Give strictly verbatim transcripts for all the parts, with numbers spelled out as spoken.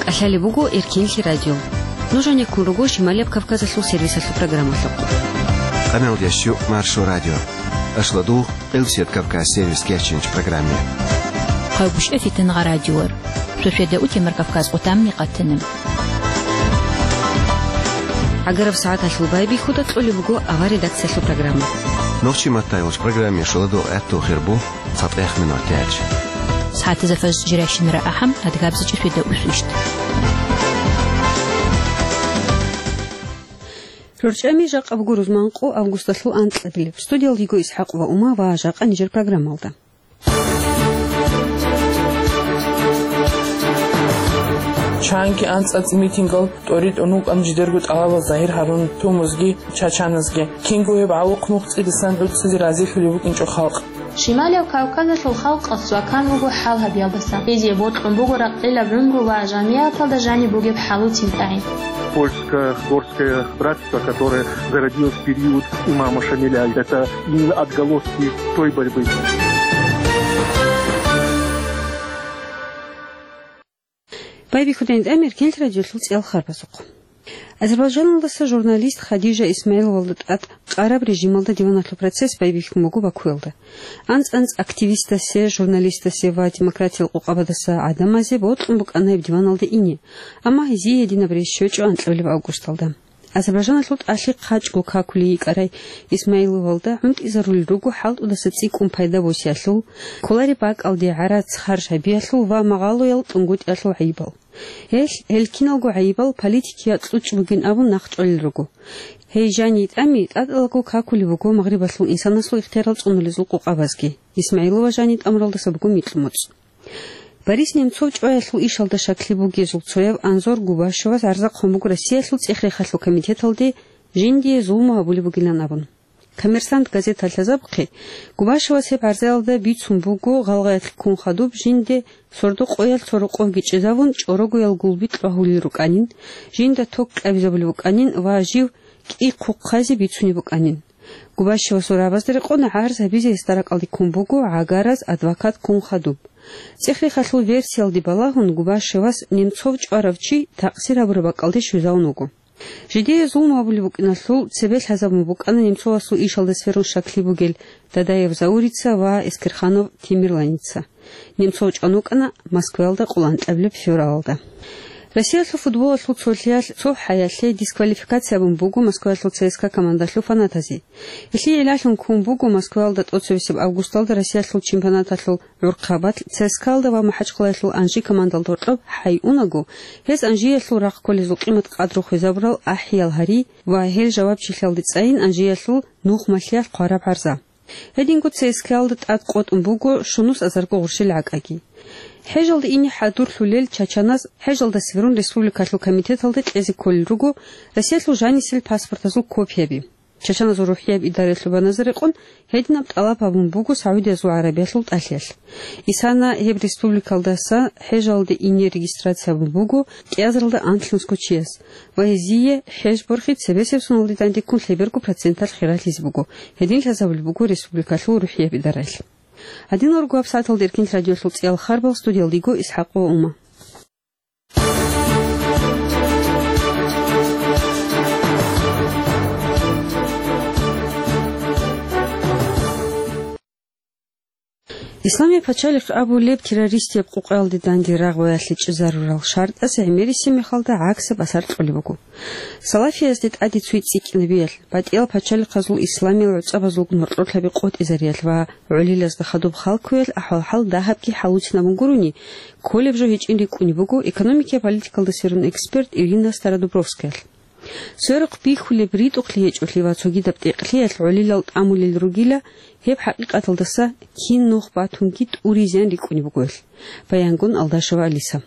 КӀалъалеб буго Эркенлъи радио. Нуж гьанеккун руго Шималияб Кавказалъул сервисалъул программалъухъ. Къаналдящу Маршо радио. Ашладугъ Элсият Кавказ сервис кечинч программе. Хъавбушев Фитангъа радиор. Шошведа утемар Кавказ къутамни къатана. ГӀагараб сагӀаталъул байбихьуда кьолеб буго авар редакциялъул программа. Нохчи маттайолч программе шоладо гӀатту хирбу. ЦатӀех минут тяч. СагӀатазда фажр жирайщинара ахӀам, адгабзичӀо шведа усвищт. РорчӀами жакъа буго рузманкъо августалъул анкьабилеб. Студиялдиго ИсхӀакъ ва Ума ва жакъа нижер программалда. Чанги анцӀацӀ митингал тӀоритӀун вукӀан жидерго тӀалабал загьир гьарун тумузги, чачаназги. Кинго гьеб гӀалухъ нух цӀидасан гӀуцӀизе разилъулеб букӀинчӀо халкъ. Шималияб Кавказалъул халкъалъ цӀвакан вуго хӀал гьабиялдаса. Гьезие бокьун буго ракъилаб гӀумру ва жамигӀаталда жаниб бугеб хӀалуцин тӀагӀин. Польско-горское братство, которое зародилось в период имама Шамиля, это именно отголоски той борьбы. Байбихьудайин тӀамер кел радиолъул цӀиял харбазухъ. Азербайджаналдаса журналист Хадижа Исмаиловалда тӀад къараб режималда диваналъул процесс байбихьун буго Бакуялда. АнцӀ-анцӀ активистасе, журналистасе ва демократиял къукъабадаса гӀадамазе бокьун букӀана гьеб диваналде ине, амма гьезие гьединаб рес щвечӀо анкьабилеб августалда. Азербайджаналъул тӀалъи хъачӀго какулей йикӀарай Исмаиловалда гӀунтӀизарулел руго хӀалтӀудаса цӀикӀкӀун пайда босиялъул, кколареб бакӀалде гӀарац харж гьабиялъул ва магъалоял тӀунгутӀиялъул гӀайибал. Гьелъ, гьел киналго гӀайибал политикияб кьучӀ бугин абун нахъ чӀвалел руго. Гьей жани тӀами тӀадалго какулеб буго Магърибалъул инсанасул ихтиярал цӀунулезул къукъабазги. Исмаилова жани тӀамуралдаса буго микьумуцӀ. Борис Немцов чӀваялъул ишалда щаклъи бугезул цояв Анзор Губашевас гӀарза хъван буго Россиялъул цӀех-рехалъул комитеталде жиндие зулму гьабулеб бугилан абун. «Коммерсант» газета лъазабухъе, Губашевас гьеб гӀарзаялда бицун буго гъалгъаялъ ккун хадуб жинде сордо къоялъ цо рокъовги чӀезавун, чӀорогоял гулби кьвагьулел рукӀанин, жинда ток кьабизабулеб букӀанин ва жив кӀихъухъ хъазе бицунеб букӀанин. Губашевасул рагӀабазда рекъон гӀарз гьабизе гьесда ракӀалде ккун буго гӀагараз адвокат ккун хадуб. ЦӀех-рехалъул версиялде балагьун, Губашевас Немцов чӀварав чи такъсир гьабураб бакӀалде щвезавун вуго. Жидее зулму гьабулеб букӀиналъул цебе лъазабун букӀана Немцовасул ишалда сверун щаклъи бугел Дадаев Заурица ва Эскерханов Темирланица. Немцов чӀван вукӀана Москваялда къоло анкьабилеб февралалда. Россиялъул футболалъул цолъиялъ цо хӀаялъе дисквалификация абун буго Москваялъул ЦСКА командалъул фанатазе. Гьелъие гӀиллалъун ккун буго Москваялда тӀоцебесеб августалда Россиялъул чемпионаталъул гӀурхъабалъ ЦСКА-алда ва МахӀачхъалаялъул Анжи командалда гьоркьоб хӀайунаго, гьез Анжиялъул рахъ кколезул къимат-къадру хвезабурал ахӀиял гьари ва гьел жавабчилъиялде цӀайин Анжиялъул нухмалъиялъ хъвараб гӀарза. Гьединго ЦСКА-алда тӀад къотӀун буго щунус азарго гъурщел гӀакӀаги. ХӀежалде ине хӀадурлъулел чачаназ хӀежалда сверун республикалъул комитеталда кьезе кколел руго Россиялъул жанисел паспортазул копияби. Чачаназул рухӀияб идараялъул баназа рекъон гьединаб тӀалаб гьабун буго СагӀудиязул ГӀарабиялъул тӀалъиялъ. Исана гьеб республикалдаса хӀежалде ине регистрация гьабун буго кӀиазаралда анлънусго чияс ва гьезие хӀеж борхи цебесеб соналде дандеккун лъеберго проценталъ хиралъизе буго, гьедин лъазабулеб буго республикалъул рухӀияб идараялъ. Гьадинал руго гьабсагӀаталда Эркин радиолъул цӀиял харбал, студиялда йиго ИсхӀакъ ва Ума. Исламияб пачалихъ абулеб террористияб къукъаялде данде рагъ баялъичӀезарурал шартӀас гӀемерисеб мехалда гӀаксаб асар кьолеб буго. Салафиязде тӀаде цуй цӀикӀкӀинабиялъ, батӀиял пачалихъазул исламиял гӀуцӀабазул норкьорлъаби къотӀизариялъ ва гӀолилазда хадуб халкуялъ ахӀвал-хӀал дагьабги хӀалуцинабун гурони, кколеб жо гьечӀин рикӀкӀунеб буго экономикиял политикалда сверун эксперт Ирина Стародубровскаялъ. Сверухъ бихьулеб ритӀухълъи гьечӀолъи ва цогидаб тӀекълъиялъ гӀолилал тӀамулел ругила, гьеб хӀакъикъаталдаса кин нух батунги тӀури-зиян рикӀкӀунеб бугоялъ, баянгун Алдашева Алиса.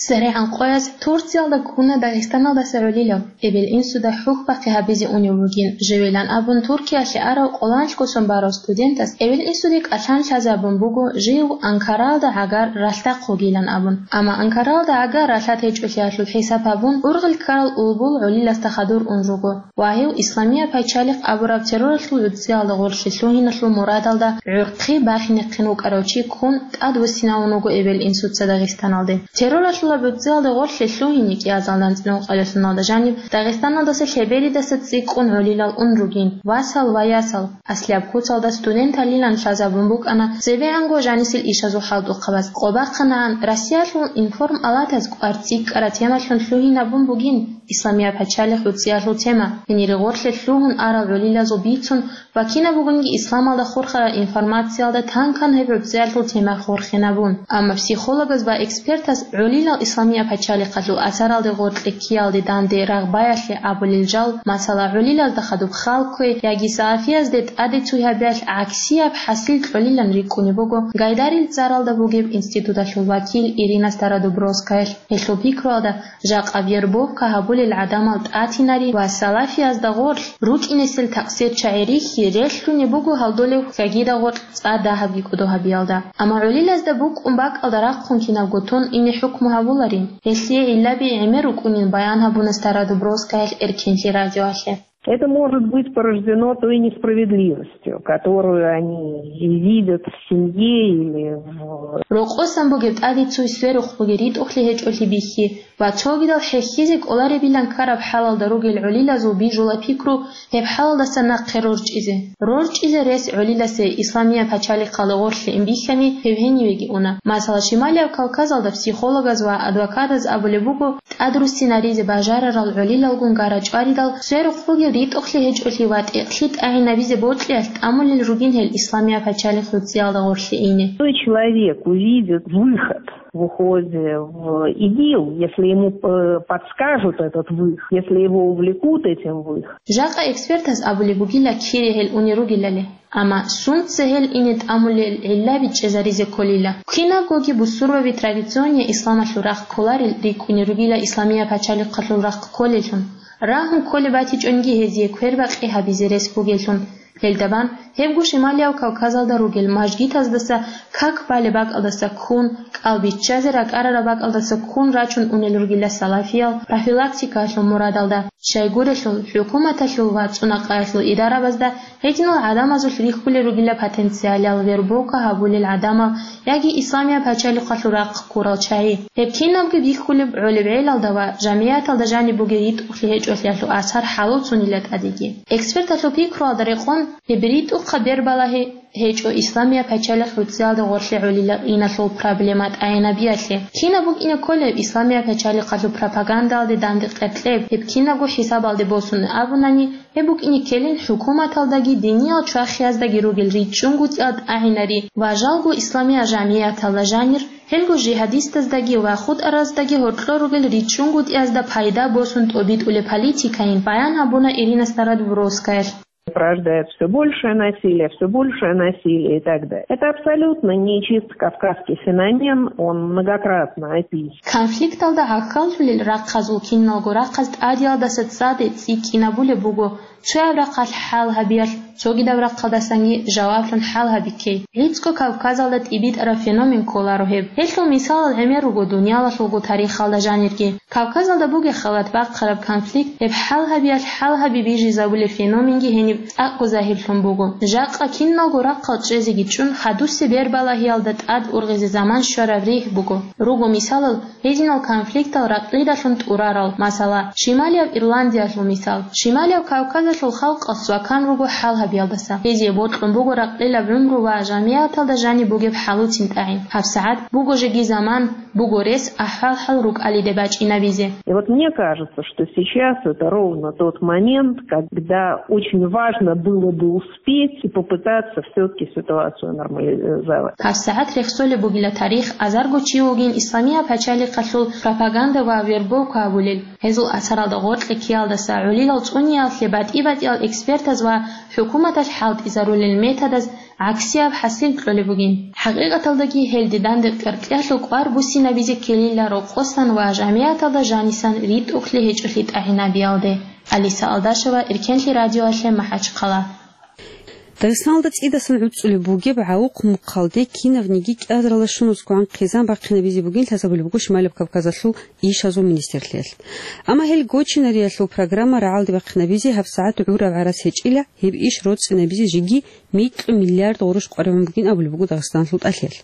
СверигӀан къояз Турциялда ккуна Дагъистаналдаса гӀолилав, эбел-инсуда хӀухьбахъи гьабизе унев вугин, живилан абун Туркиялъе арав къоланлъго сон барав студентас эбел-инсуде кӀалъан лъазабун буго жив Анкаралда гӀагар ралъдахъ вугилан абун. Амма Анкаралда гӀагар ралъад гьечӀолъиялъул хӀисаб гьабун, ургъел ккарал улбул гӀолиласда хадур ун руго. Ва гьев Исламияб пачалихъ абураб терроралъул гӀуцӀиялда гъорлъе лъугьиналъул мурадалда гӀурхъи бахинехъин вукӀарав чи ккун тӀадвуссинавун вуго эбел-инсуца Дагъистаналде. Терроралъ Лабуцциялда гъорлъе лъугьине кӀиазал анцӀила ункъабилеб соналда жаниб Дагъистаналдаса лъеберидаса цӀикӀкӀун гӀолилал ун ругин, васал ва ясал, аслияб куцалда студенталилан лъазабун букӀана цебегӀанго жанисел ишазул хӀалтӀухъабаз. Къо бахъанагӀан, Россиялъул информалатаз кӀвар цӀикӀкӀараб темалъун лъугьинабун бугин Исламияб пачалихъ уцциялъул тема, гьенире гъорлъе лъугьун арал гӀолилазул бицун ва кинаб бугониги исламалда хурхарал информациялда тан-кан гьеб гӀуцциялъул тема хурхинабун. Амма психологаз ва экспертаз гӀолилал Исламияб пачалихъалъул асаралде гъоркье ккеялде данде рагъбаялъе абулел жал, масала, гӀолилазда хадуб хал кквей яги салафиязде тӀаде цуй гьабиялъ гӀаксияб хӀасил кьолилан рикӀкӀунеб буго Гайдарил цӀаралда бугеб институталъул вакил Ирина Стародубровскаялъ. Гьелъул пикруялда, жакъа вербовка гьабулел гӀадамал тӀатинари ва салафиязда гъорлъ рукӀинесел такъсирчагӀи рихьи релълъунеб буго гьалдолеб хьагида гъоркь цӀа дагьабги кӀодо гьабиялда. Амма гӀолилазда букӀун бакӀалда рахъун кинабго тун ине хӀукму гьабуларин, гьелъие гӀиллаби гӀемер рукӀунин баян гьабуна Стародубровскаялъ Эркенлъи радиоялъе. Это может быть порождено той несправедливостью, которую они видят в семье или в... Рокъосан бугеб тӀаде цуй сверухъ бугеб ритӀухълъи гьечӀолъи бихьи ва цогидал хӀехьизе кӀоларебилан ккараб хӀалалда ругел гӀолилазул бижула пикру гьеб хӀалалдаса нахъе рорчӀизе. РорчӀизе рес гӀолиласе Исламияб пачалихъалда гъорлъе ин бихьани, гьев гьенивеги уна. Масала, Шималияб Кавказалда психологаз ва адвокатаз абулеб буго, тӀадруссинаризе бажарарал гӀолилалгун гара чӀваридал, сверухъ бугеб ритӀухълъи гьечӀолъи ва тӀекълъи тӀагӀинабизе бокьиялъ тӀамулел ругин гьел Исламияб пачалихъ уцциялда гъорлъе ине. Той человек увидит выход в уходе в ИГИЛ, если ему, э, подскажут этот выход, если его увлекут этим выходом. Жакъа экспертаз абулеб бугила кире гьел унел ругелали. Амма сунца гьел ине тӀамулел гӀиллаби чӀезаризе кколила. Кинабгоги бусурбаби традиционный исламалъул рахъ кколарел рикӀкӀунел ругила Исламияб пачалихъалъул рахъ кколеллъун. Рагьун кколеб батичӀониги гьезие квербакъи гьабизе рес бугеллъун. Гьелда бан, гьебго Шималияб Кавказалда ругел мажгитаздаса как балеб бакӀалдаса ккун, кӀал биччазе ракӀарараб бакӀалдаса ккун рачун унел ругила салафиял профилактикаялъул мурадалда. Щайгурелъул, хӀукуматалъул ва цӀунакъаялъул идарабазда гьединал гӀадамазулъ рихьулел ругила потенциалал вербовка гьабулел гӀадамал яги Исламияб пачалихъалъул рахъ ккурал чагӀи. Гьеб кинабги бихьулеб гӀолеб гӀелалда ва жамигӀаталда жаниб бугеб ритӀухълъи гьечӀолъиялъул асар хӀалуцунила тӀадеги. Эксперталъул пикруялда рекъон, гьеб ритӀухъаб бербалагьи гьечӀо Исламияб пачалихъ уцциялда гъорлъе гӀолилал иналъул проблема тӀагӀинабиялъе. Кинаб букӀине кколеб Исламияб пачалихъалъул пропагандалде данде къеркьеб, гьеб кинабго хӀисабалде босун абунани, гьеб букӀине ккелин хӀукуматалдаги диниял чвахияздаги ругел ричӀчӀунгутӀиялда тӀагӀинари ва жалго исламиял жамигӀаталда жанир, гьелго жигьадистаздаги ва хутӀараздаги гьоркьор ругел ричӀчӀунгутӀиязда пайда босун тӀобитӀулеб политикайин баян гьабуна Ирина Стародубровскаялъ. Порождает всё большее насилие, всё большее насилие и так далее. Это абсолютно не чисто кавказский феномен, он многократно описан. Конфликталда гӀахьаллъулел рахъазул киналго рахъаз тӀадиялдаса цаде цӀикӀкӀинабулеб буго, цояб рахъалъ хӀал гьабиялъ, цогидаб рахъалдасанги жаваблъун хӀал гьабиккей. ГӀицӀго Кавказалда тӀибитӀараб феномен кколаро гьеб. Гьелъул мисалал гӀемер руго дуниялалъулго тарихалда жанирги. Кавказалда бугеб халат бахъараб конфликт, гьеб хӀал гьабиялъ хӀал гьаби бижизабулеб феноменги гьениб цӀакъго загьирлъун буго. Жакъа киналго рахъал чӀезеги чӀун, хадусеб бербалагьиялда тӀад ургъизе заман щвараб ригь буго. Руго мисалал, гьединал конфликтал ракьидалъун тӀурарал, масала, Шималияб Ирландиялъул мисал. Шималияб Кавказалъул халкъалъ свакан руго хӀал гьабиялдаса. Гьезие бокьун буго ракьилаб гӀумру ва жамигӀаталда жаниб бугеб хӀалуцин тӀагӀин. ГьабсагӀат буго жеги заман, буго рес ахӀвал-хӀал рукӀалиде бачӀинабизе. И вот мне кажется, что сейчас это ровно тот момент, когда очень важно было бы успеть и попытаться всё-таки ситуацию нормализовать. ГьабсагӀат рехсолеб бугила тарих, азарго чи вугин Исламияб пачалихъалъул пропаганда ва вербовка гьабулел. Гьезул асаралда гъоркье ккеялдаса гӀолилал цӀуниялъе батӀи-батӀиял экспертаз ва хӀукуматалъ хӀалтӀизарулел методаз гӀаксияб хӀасил кьолеб бугин. ХӀакъикъаталдаги гьелде данде къеркьялъул кӀвар буссинабизе ккелила рокъосан ва жамигӀаталда жанисан ритӀухълъи гьечӀолъи тӀагӀинабиялде. Алиса Алдашева, Эркенлъи радиоялъе, МахӀачхъала. Дагъистаналда цӀидасан гӀуцӀулеб бугеб гӀавухъ мухъалде кинавниги кӀиазаралда щунусгоан хъизан бахъинабизе бугин лъазабулеб буго Шималаб Кавказалъул ишазул министрлъиялъ. Амма гьел гочинариялъул программа рагӀалде бахъинабизе гьабсагӀат гӀураб гӀарац гьечӀила, гьеб иш роцӀцӀинабизе жеги микьу миллиард гъурущ къваригӀун бугин абулеб буго Дагъистаналъул тӀалъиялъ.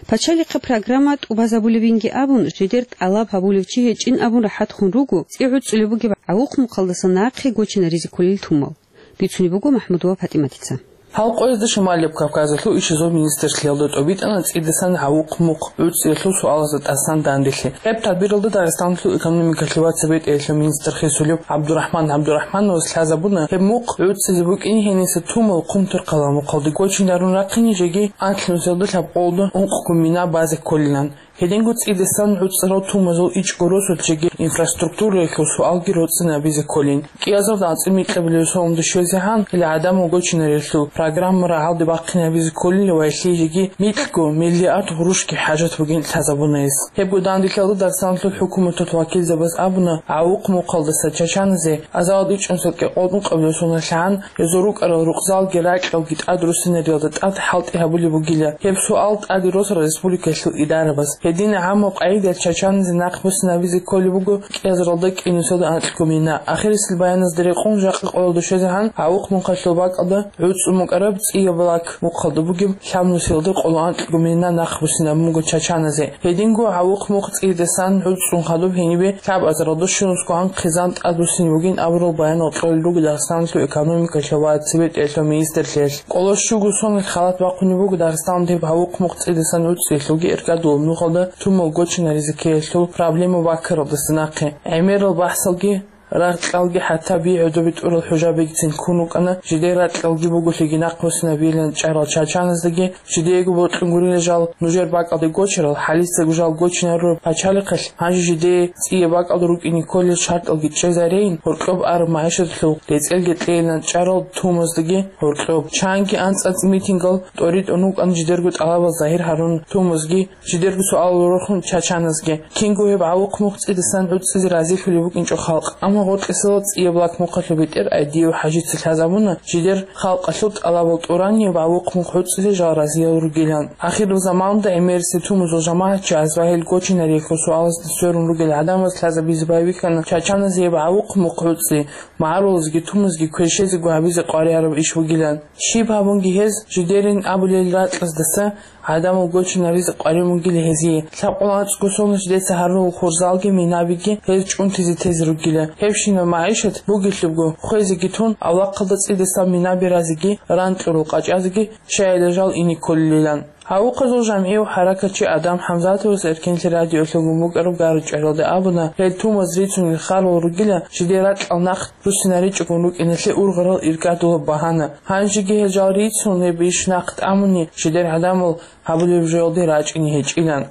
Пачалихъе программа тӀубазабулебинги абун, жидер тӀалаб гьабулев чи гьечӀин абун рахӀат хун руго цӀи гӀуцӀулеб бугеб гӀавухъ мухъалдаса нахъе гочинаризе кколел тумал. Бицунеб буго МахӀмудова ПатӀиматица. Гьал къоязда Шималаб Кавказалъул ишазул министрлъиялда тӀобитӀана цӀидасан гӀавухъ мухъ гӀуцӀиялъул суалазда тӀасан данделъи. Гьеб тадбиралда Дагъистаналъул экономикалъе ва цебетӀеялъул министр хисулев ГӀабдурахӀман ГӀабдурахӀмановас лъазабуна, гьеб мухъ гӀуцӀизе букӀин гьениса тумал Хъумтурхъалал мухъалде гочинарун рахъине жеги анлънусиялда лъабкъолда ункъго мина базе кколилан. Гьединго цӀидасан гӀуцӀарал тумазул ичӀго росулъ жеги инфраструктураялъул суалги роцӀцӀинабизе кколин. КӀиазарда анцӀила микьабилеб соналда щвезегӀан, гьел гӀадамал гочинариялъул программа рагӀалде бахъинабизе кколин ва гьелъие жеги микьго миллиард гъурущги хӀажат бугин лъазабуна гьес. Гьебго данделъалда Дагъистаналъул хӀукуматалъул вакилзабаз абуна, гӀавухъ мухъалдаса чачаназе азалда ичӀнусел кӀикъоялда ункъабилеб соналъ гьан гьезул рукӀарал рукъзалги ракьалги тӀадруссинариялда тӀад хӀалтӀи гьабулеб бугила. Гьеб суал тӀаде росарал республикаялъул идарабаз. Гьедин гӀаммаб къагӀидаялъ чачаназе нахъ буссинабизе кколеб буго кӀиазаралда кӀинусиялда анкьго мина. Ахирисел баяназда рекъон жакъа къоялда щвезегӀан гӀавухъ мухъалъул бакӀалда гӀуцӀун букӀараб цӀияб лак мухъалда бугеб лъабнусиялда къоло анкьго мина нахъ буссинабун буго чачаназе. Гьединго гӀавухъ мухъ цӀидасан гӀуцӀун хадуб гьенибе лъабазаралда щунусгоан хъизан тӀадвуссин бугин абурал баянал кьолел руго Дагъистаналъул экономикалъул ва цебетӀеялъул министрлъиялъ. Къоло щуго соналъ халат бахъунеб буго Дагъистаналда гьеб гӀавухъ мухъ цӀидасан гӀуцӀиялъулги эркадулаб нухалда тумал гочинаризе ккеялъул проблема баккаралдаса нахъе. ГӀемерал бахӀсалги, ракьалги, хӀатта би гӀодобе тӀурал хӀужабигицин ккун рукӀана, жидер ракьалги буголъиги нахъ буссинабилан чӀарал чачаназдаги, жидеего бокьун гурила жал нужер бакӀалде гочарал, хӀалицаго жал гочинарураб пачалихъалъ, гьанже жидее цӀияб бакӀалда рукӀине кколел шартӀалги чӀезареян, гьоркьоб араб магӀишаталъул рецӀелги кьейилан чӀарал тумаздаги гьоркьоб. Чанги анцӀ-анцӀ митингал тӀоритӀун рукӀана жидерго тӀалабал загьир гьарун тумазги, жидерго суалал рорхун чачаназги. Кинго гьеб гӀавухъ мухъ цӀидасан гӀуцӀизе разилъулеб букӀинчӀо халкъ. Амма гъоркьисел цӀияб лак мухъалъул бетӀер Айдиев ХӀажица лъазабуна жидер халкъалъул тӀалабал тӀурани гьеб гӀавухъ мухъ гӀуцӀизе жал разиял ругилан. Ахирзаманда гӀемерисел тумазул жамагӀатчияс ва гьел гочинариялъул суалазда сверун ругел гӀадамаз лъазабизе байбихьана чачаназе гьеб гӀавухъ мухъ гӀуцӀи, магӀарулазги тумазги кверщезего гьабизе къваригӀараб иш бугилан. Щиб гьабунги гьез, жидерин абулел ракьаздаса гӀадамал гочинаризе къваригӀун бугила гьезие. Лъабкъоялда анцӀго соналъ жидеца гьарулел хурзалги минабиги гьез чӀунтизе тезе ругила. Гьебщинаб магӀишат бугелъубго хвезеги тун, авлахъалда цӀидасан минаби разиги, ран кьурал къачӀазеги щайила жал ине кколилан. Гьавухъазул жамгӀияв хӀаракатчи Адам ХӀамзатовас Эркенлъи радиоялъ гьабун букӀараб гъарачӀваралда абуна, гьел тумаз рицунел харал ругила, жидер ракьал нахъ руссинаричӀогун рукӀиналъе ургъарал иркӀадулаб багьана. Гьанжеги гьел жал рицун, гьеб иш нахъ тӀамуни, жидер гӀадамал гьабулеб жоялде рачӀине гьечӀилан.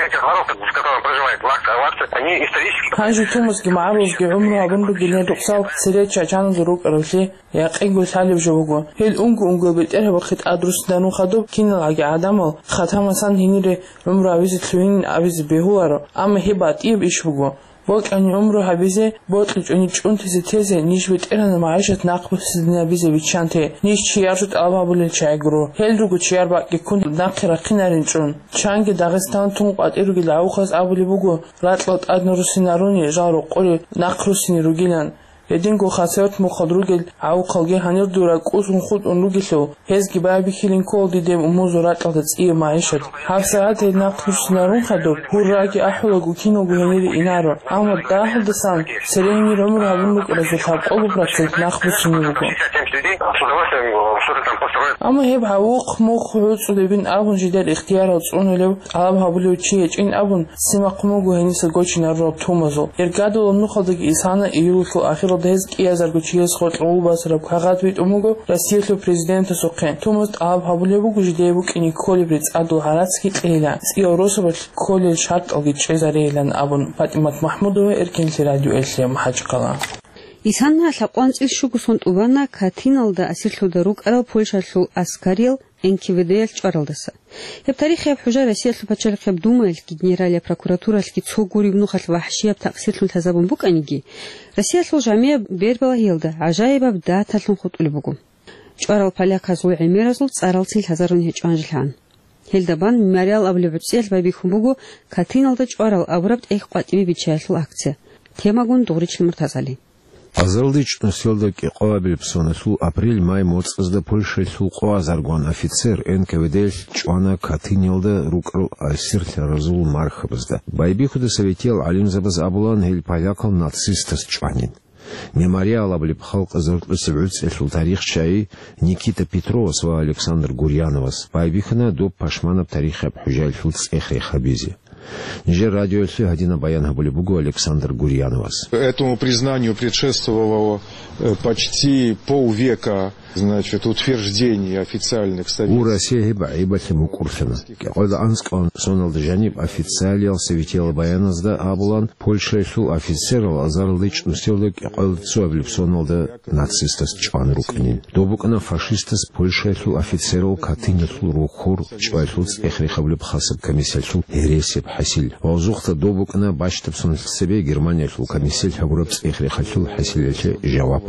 Эти ворота, в котором проживает Лакта Аварцы, они исторически... Гьанже тумазги магӀарулазги гӀумру гьабун ругел гьел рукъзал цере чачаназул рукӀаравлъи якъинго лъалеб жо буго. Гьел унго-унгоял бетӀергьабахъе тӀадруссинарун хадуб киналгӀаги гӀадамал хатамасан гьенире гӀумру гьабизе лъугьин абизе бегьуларо, амма гьеб батӀияб иш буго. Бокьани гӀумру гьабизе, бокьичӀони чӀунтизе тезе, ниж бетӀергьанаб магӀишат нахъ буссинабизе биччанте, ниж чияр жо тӀалаб гьабулел чагӀи гуро. Гьел руго чияр бакӀги ккун нахъе рахъинарин чӀун. Чанги Дагъистан тун къватӀир ругел гӀавухъаз абулеб буго, ракьал тӀадна руссинаруни, жал рокъоре нахъ руссине ругилан. Гьединго Хасавюрт мухъалъ ругел гӀавухъалги гьанир дур ракӀ кӀусун хутӀун ругелъул, гьезги байбихьилин ккола дидеб умузул ракьалда цӀияб магӀишат. ГьабсагӀат гьел нахъ руссинарун хадуб, гьурраги ахӀулаго киналго гьенире инаро. Амма дагьалдасан цере гьенир гӀумру гьабун букӀаразул лъабкъолеб процент нахъ буссине буго. Амма гьеб гӀавухъ мухъ гӀуцӀулебин абун жидер ихтиярал цӀунулев, тӀалаб гьабулев чи гьечӀин абун, симахъун буго гьениса гочинарурал тумазул. Иргадулаб нухалдаги исана июлалъул ахиралда гьез кӀиазарго чияс гъоркье гъулбасараб кагъат битӀун буго Россиялъул президентасухъе. Тумаз тӀалаб гьабулеб буго жидее букӀине кколеб рецӀадул гӀарацги кьейилан, цӀиял росабалъ кколел шартӀалги чӀезарейилан абун. ПатӀимат МахӀмудова, Эркенлъи радиоялъ, МахӀачхъала. Исана лъабкъоялда анцӀила щуго сон тӀубана Катиналда асирлъуна рукӀарал Польшалъул аскариял НКВД-ялъ чӀваралдаса. Гьеб тарихияб хӀужа Россиялъул пачалихъияб Думаялъги генералияб прокуратуралъги цо гуреб нухалъ вахӀшияб такъсирлъун лъазабун букӀаниги, Россиялъул жамияб бербалагьиялда гӀажаибаб даталъун хутӀулеб буго. ЧӀварал поляказул гӀемеразул цӀарал цин лъазарун гьечӀо гьанжелъан. Гьелда бан «Мемориал» абулеб гӀуцӀиялъ байбихьун буго Катыналда чӀварал абураб тӀехь къватӀибе биччаялъул акция. Темагун Дугъричил МуртазгӀали. Азаралда чӀунусиялда кӀикъоабилеб соналъул апрель-май моцӀазда Польшаялъул къо азаргун офицер Н К В Д-ялъ чӀвана Катыниялда рукӀарал асирлъаразул мархабазда. Байбихьуда советиял гӀалимзабаз абулан, гьел полякал нацистаз чӀванин. «Мемориал» абулеб халкъ заркьулъеб гӀуцӀиялъул тарихчияй Никита Петровас ва Александр Гурьяновас байбихьана доб пашманаб тарихияб хӀужаялъул цӀех-рех гьабизе. Нижер радиоялъе гьадинаб баян гьабулеб буго Александр Гурьяновас. Этому признанию предшествовало, э, почти полвека, значит, утверждение официальных советских. Гьеб гӀайибалъе мукӀурлъана. КӀикъоялда анцӀкӀалан соналда жаниб официалиял советиял баяназда абулан, Польшаялъул офицерал азаралда чӀунусиялда кӀикъоялда цоабилеб соналда нацистаз чӀван рукӀанин. Доб букӀана фашистаз Польшаялъул офицерал Катыниялъул рохьор чӀваялъул цӀех-рех гьабулеб хасаб комиссиялъул гьересияб хӀасил. Гъозухъа доб букӀана бащдаб соналъ цебе Германиялъул комиссиялъ гьабураб цӀех-рехалъул хӀасилалъе жаваб.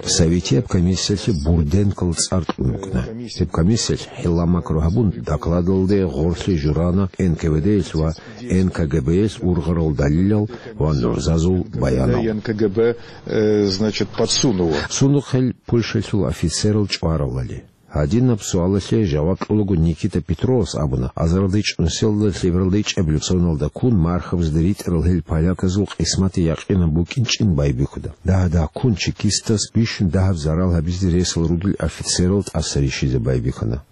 Советияб комиссиялъе Бурденкол цӀар кьун букӀана. Гьеб комиссиялъ хӀилла-макру гьабун, докладалде гъорлъе журана Н К В Д-ялъ ва Н К Г Б-ялъ ургъарал далилал ва нугӀзазул баянал. Н К Г Б, э, значит, подсунуло. Сундухъ гьел Польшаялъул офицерал чӀваралали. Гьадинаб суалалъе жаваб кьолаго Никита Петровас абуна, азаралда чӀунусиялда лъебералда ичӀабилеб соналда ккун мархабазда ритӀарал гьел поляказул къисматги якъинаб букӀинчӀин байбихьуда. Дагь-дагьккун чекистас бищун дагьаб зарал гьабизе ресал ругел офицерал тӀаса рищизе байбихьана.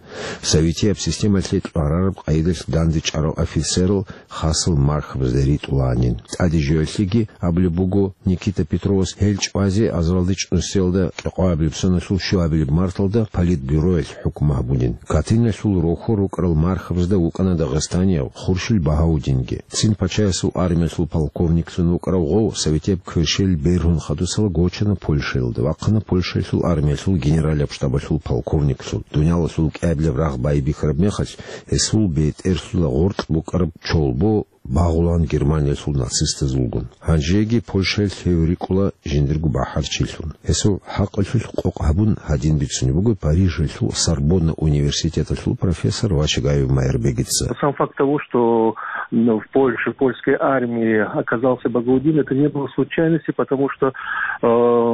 Советияб системалъе кьварараб къайдалъ данде чӀарал офицерал хасал мархабазда ритӀулаанин. ТӀаде жоялъеги абулеб буго Никита Петровас, гьел чӀвазе азаралда чӀунусиялда кӀикъоабилеб соналъул щуабилеб марталда политбюроялъ хӀукму гьабунин. Катыниялъул рохьор рукӀарал мархабазда вукӀана дагъистанияв Хуршил Багьаудинги. Цин пачаясул армиялъул полковниклъун вукӀарав гъов советияб кверщел бергьун хадусала гочана Польшаялда, вахъана Польшаялъул армиялъул генералияб штабалъул полковниклъун. Дуниялалъул кӀиабилеб рагъ байбихьараб мехалъ, гьесул бетӀерлъула гъоркь букӀараб чолбо багъулаан Германиялъул нацистазулгун. Гьанжеги Польшаялъ гьев рикӀкӀула жиндирго бахӀарчилъун. Гьесул хӀакъалъулъ къокъ гьабун, гьадин бицунеб буго Парижалъул Сорбонна университеталъул профессор Вачагаев Майрбегица. Сам факт того, что, м, в Польше, в польской армии оказался Багаудин, это не было случайностью, потому что, э,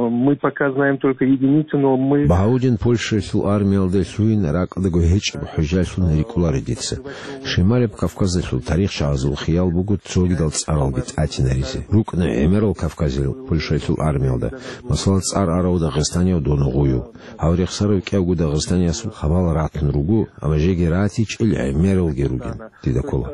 мы пока знаем только единицы, но мы... Багьаудин Польшаялъул армиялде лъугьин ракӀалдаго гьечӀеб хӀужалъун рикӀкӀунаро дица. Шималаб Кавказалъул тарихчагӀазул хиял буго цогидал цӀаралги тӀатинаризе. РукӀна гӀемерал кавказиял Польшаялъул армиялда, масала, цӀар арав дагъистанияв Доногъуев. Гьав рехсарав кӀиявго Дагъистаниясул хабал ратун руго, амма жеги ратичӀел гӀемералги ругин, дида ккола.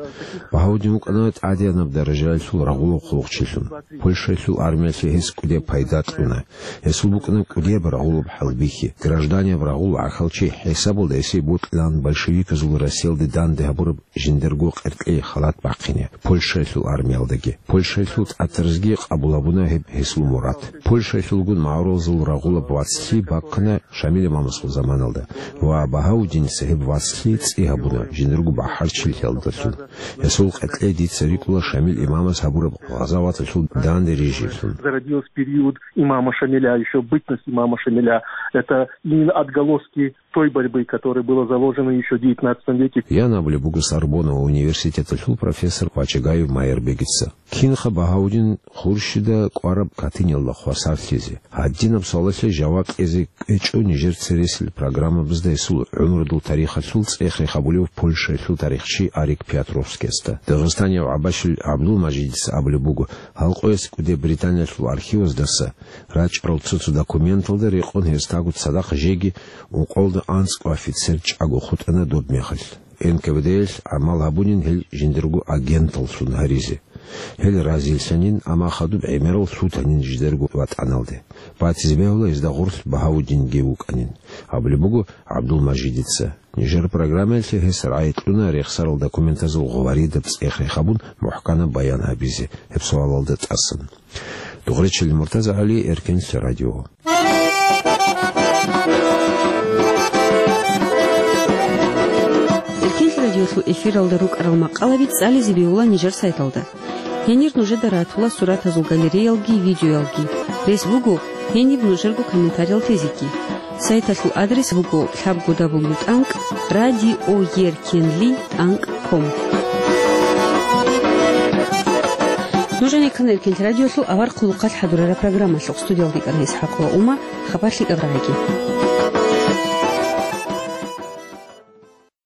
Багьаудин вукӀана тӀадегӀанаб даражаялъул рагъулаб хъулухъчилъун. Польшаялъул армиялъе гьес кӀудияб пайда кьуна. Гьесул букӀана кӀудияб рагъулаб хӀалбихьи. Гражданияб рагъул гӀахьалчи хӀисабалда гьесие бокьилаан большевиказул Россиялде данде гьабураб жиндирго къеркьей халат бахъине Польшаялъул армиялдаги. Польшаялъул тӀатаразги къабул гьабуна гьеб гьесул мурад. Польшаялъулгун магӀарулазул рагъулаб вацлъи бахъана Шамил имамасул заманалда ва Багьаудиница гьеб вацлъи цӀи гьабуна жиндирго бахӀарчилъиялдалъун. Гьесул къеркьей дица рикӀкӀула Шамил имамас гьабураб гъазаваталъул данде рижиялъун. Зародилась в период имама Шамиля, ещё бытность имама Шамиля. Это именно отголоски той борьбы, которая была заложена ещё в девятнадцатом веке. Ян абулеб буго Сорбонна университеталъул профессор Вачагаев Майрбегица. Кинха Багьаудин Хуршида кӀвараб Катыниялда хвасарлъизе? Гьадинаб суалалъе жаваб кьезе кӀвечӀо нижер цересел программабазда гьесул гӀумрудул тарихалъул цӀех-рех гьабулев Польшаялъул тарихчи Арик Пиотровскиясда. Дагъистанияв ГӀабашил ГӀабдулмажидица абулеб буго, гьал къоялъ кӀудеб Британиялъул архиваздаса рачӀарал цо-цо документалда рекъон гьесдаго цадахъ жеги ункъоялда анцӀго офицер чӀаго хутӀана доб мехалъ. Н К В Д-ялъ гӀамал гьабунин гьел жиндирго агенталлъун гьаризе. Гьел разилъанин, амма хадуб гӀемерал лъутанин жидерго ватӀаналде. Батизе бегьула гьезда гъорлъ Багьаудинги вукӀанин. Абулеб буго ГӀабдулмажидица. Нижер программаялъе гьес рагӀи кьуна рехсарал документазул гъоваридаб цӀех-рех гьабун мухӀканаб баян гьабизе гьеб суалалда тӀасан. Дугъречил МуртазагӀали, Эркенлъи радио. Эркенлъи радиолъул эфиралда рукӀарал макъалаби цӀализе бегьула нижер сайталда. Гьенир нужеда ратула суратазул галереялги видеоялги. Рес буго Гьениб нужерго комментариял тезеги. Сайталъул адрес буго лъабго дабл ю тӀанкӀ радиоеркенли тӀанкӀ ком. Нуж гӀенеккана Эркенлъи радиолъул авар хъулухъалъ хӀадурараб программалъухъ. Студиялда йикӀана ИсхӀакъ ва Ума. Хабар лъикӀаб рагӀиги.